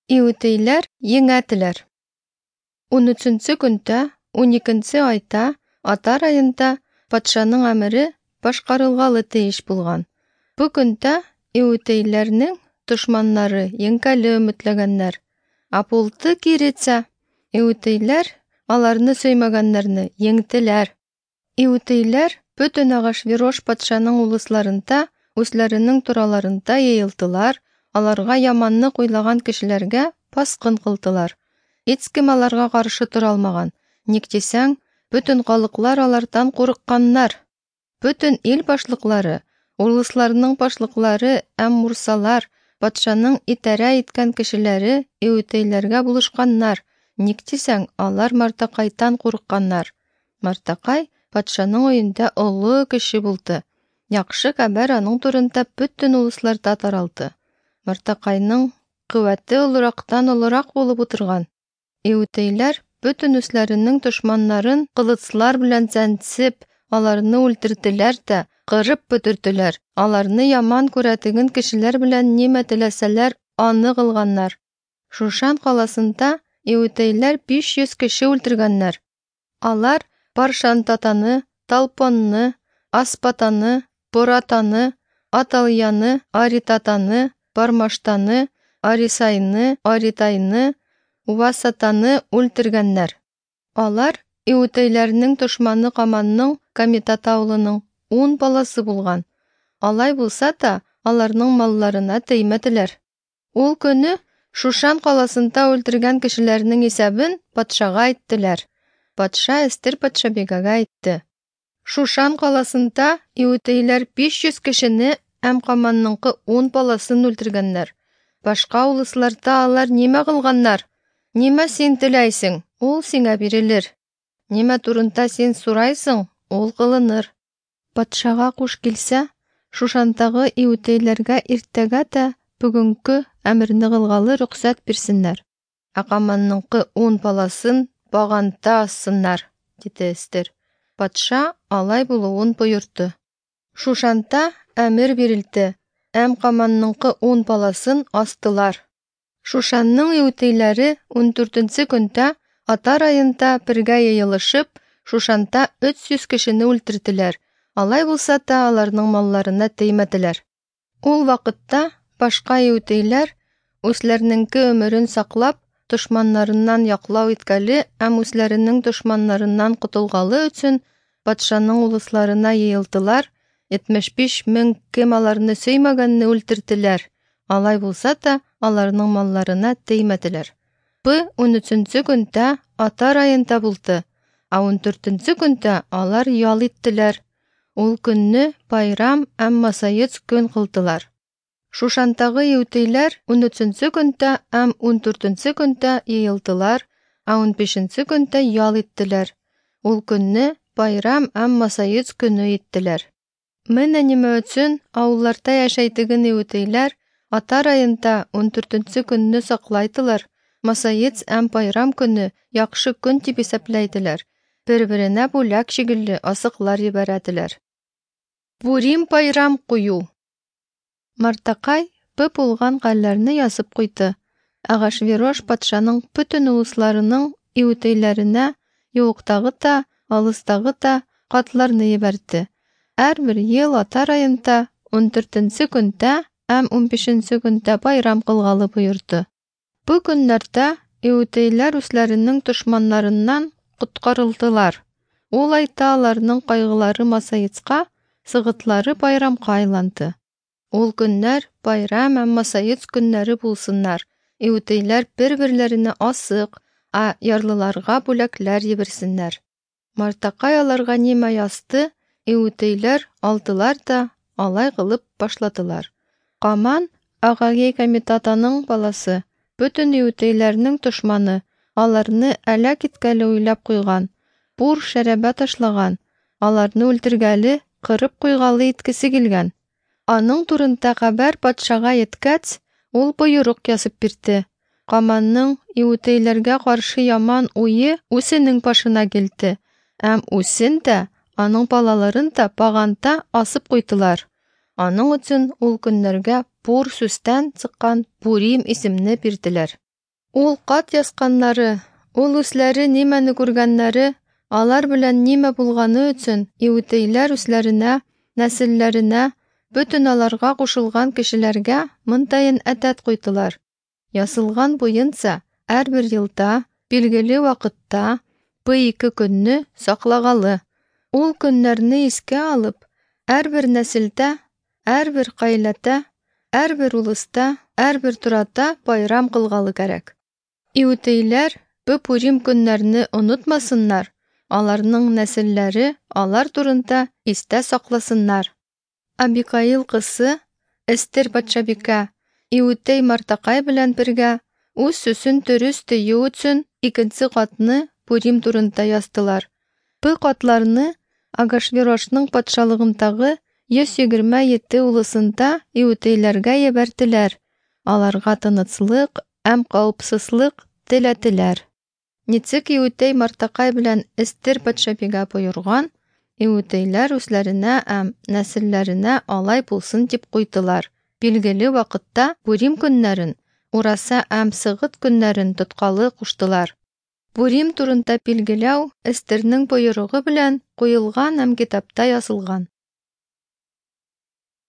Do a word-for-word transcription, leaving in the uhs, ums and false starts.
Иүтейләр еңәтеләр. Унөченче көндә, уникенче айда, Атар айында патшаның әмере башкарылгалы тиеш булган. Бу көндә иүтейләрнең дошманнары еңкәле өметләгәннәр. Ә булды киресә, иүтейләр аларны сөймәгәннәрне еңтеләр. Иүтейләр бөтен Ахашверош патшаның улысларында, үзләренең тораларында йыелдылар, аларга яманлык уйлаган кешеләргә баскын кылдылар. Һичкем аларга каршы тора алмаган. Ник дисәң, бөтен халыклар алардан курыкканнар. Бөтен ил башлыклары, улысларның башлыклары һәм мурсалар, патшаның идарә иткән кешеләре иүтейләргә булышканнар. Ник дисәң, алар Мардакайдан курыкканнар. Мардакай патшаның өендә олы кеше булды. Яхшы хәбәр аның турында бөтен улысларда таралды. Мардакайның куәте олырактан олырак булып утырган. Иүтейләр бөтен үзләренең дошманнарын кылычлар белән чәнчеп, аларны үлтерделәр дә, кырып бетерделәр. Аларны яман күрәтеген кешеләр белән нимә теләсәләр, аны кылганнар. Шушан каласында иүтейләр биш йөз кеше үлтергәннәр. Алар Паршантатаны, Талпонны, Аспатаны, Поратаны, Аталияны, Аритатаны, Пармаштаны, Арисайны, Аритайны, Увасатаны үлтергәннәр. Алар иүтейләрнең дошманы Каманның Камитата улының ун баласы булган. Алай булса да, аларның малларына теймәделәр. Ул көне Шушан каласында үлтергән кешеләрнең исәбен патшага әйттеләр. Патша Эстер патшабикәгә әйтте: Шушан каласында иүтейләр биш йөз кешене һәм Каманныңкы ун баласын үлтергәннәр. Башка улысларда алар нимә кылганнар? Нимә син теләйсең, ул сиңа бирелер. Нимә турында син сорайсың, ул кылыныр. Патшага куш килсә, Шушандагы иүтейләргә иртәгә дә бүгенге әмерне кылгалы рөхсәт бирсеннәр. Ә Каманныңкы ун баласын баганда ассыннар, диде Эстер. Патша алай булуын боерды. Шушанда әмер бирелде, һәм Каманныңкы ун баласын астылар. Шушанның иүтейләре ундүртенче көндә Атар айында бергә йыелышып, Шушанда өч йөз кешене үлтерделәр. Алай булса да, аларның малларына теймәделәр. Ул вакытта башка иүтейләр үзләренеңке өмерен саклап, дошманнарыннан яклау иткәле һәм үзләренең дошманнарыннан котылгалы өчен патшаның улысларына йыелдылар. Җитмеш биш мең кем аларны сөймәгәнне үлтерделәр. Алай булса да, аларның малларына теймәделәр. Бу унөченче көндә Атар айында булды, ә ундүртенче көндә алар ял иттеләр. Ул көнне байрам һәм масаец көн кылдылар. Шушандагы иүтейләр унөченче көндә һәм ундүртенче көндә йыелдылар, ә унбишенче көндә ял иттеләр. Ул көнне байрам һәм масаец көне иттеләр. Менә нимә өчен авылларда яшәйтеген иүтейләр Атар айында ундүртенче көнне саклайдылар, масаец һәм байрам көне яхшы көн дип исәпләйделәр. Бер-беренә бүләк шикелле асыклар җибәрәделәр. Пурим байрам кую. Мардакай бу булган хәлләрне язып куйды. Ахашверош патшаның бөтен улысларының иүтейләренә юктагы да, алыстагы да хатларны җибәрде. Һәрбер ел Атар айында ундүртенче көндә һәм унбишенче көндә байрам кылгалы боерды. Бу көннәрдә иүтейләр үзләренең дошманнарыннан коткарылдылар. Ул айда аларның кайгылары масаецка, сыгытлары байрамга айланды. Ул көннәр байрам һәм масаец көннәре булсыннар. Иүтейләр бер-берләренә асык, ә ярлыларга бүләкләр җибәрсеннәр. Мардакай аларга нимә язды, иүтейләр алдылар да алай кылып башладылар. Каман Агагей Камитатаның баласы, бөтен иүтейләрнең дошманы, аларны әләк иткәле уйлап куйган, пур шәрәбә ташлаган, аларны үлтергәле, кырып куйгалы иткесе килгән. Аның турында хәбәр патшага еткәч, ул боерык язып бирде. Каманның иүтейләргә каршы яман уе үзенең башына килде, һәм үзен дә, аның балаларын да баганда асып куйдылар. Аның өчен ул көннәргә пур сүстән чыккан Пурим исемне бирделәр. Ул кат ясканнары, ул үзләре нимәне күргәннәре, алар белән нимә булганы өчен иудейлар үзләренә, нәселләренә, бөтен аларга кушылган кешеләргә монтаен әдәт куйдылар. Язылган буенча, һәрбер елда, билгеле вакытта, бу ике көнне саклагалы. Ул көннәрне искә алып, һәрбер нәселдә, һәрбер гаиләдә, һәрбер улуста, һәрбер турада байрам кылгалы кирәк. Иудейлар бу Пурим көннәрне онытмасыннар, аларның нәселләре алар турында истә сакласыннар. Абикаил кызы Эстер патшабикә иудей Мардакай белән бергә үз сүзен дөрес тою өчен икенче катны Пурим турында яздылар. Бу катларны Агашверошның патшалыгындагы йөз егерме җиде улусында иудейләргә җибәрделәр. Аларга тынычлык һәм каупсызлык теләделәр. Ничек иудей Мардакай белән Эстер патшабикә боерган, иудейлар үзләренә һәм нәселләренә алай булсын дип куйдылар. Билгеле вакытта Пурим көннәрен, Ураса һәм Сыгыт көннәрен тоткалы куштылар. Пурим турында билгеләү Эстернең боерыгы белән куелган һәм китапта язылган.